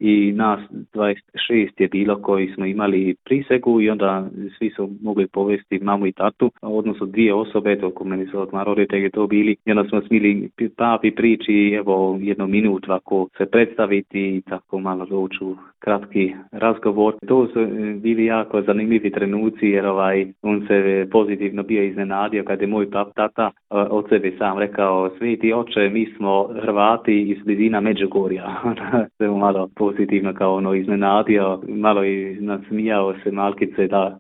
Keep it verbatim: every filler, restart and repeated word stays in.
i nas dvadeset šest je bilo koji smo imali prisegu i onda svi su mogli povesti mamu i tatu, odnosno dvije osobe, dok meni su odmah roditelji to bili, i onda smo smili papi priči, evo jednu minut ovako se predstaviti i tako malo doći u kratki razgovor. To su bili jako zanimljivi trenuci jer ovaj, on se pozitivno bio iznenadio kad je moj pap tata od sebe sam rekao: sveti oče, mi smo Hrvati iz blizina Međugorja. Se malo pozitivno kao ono iznenadio, malo i nasmijao se malkice da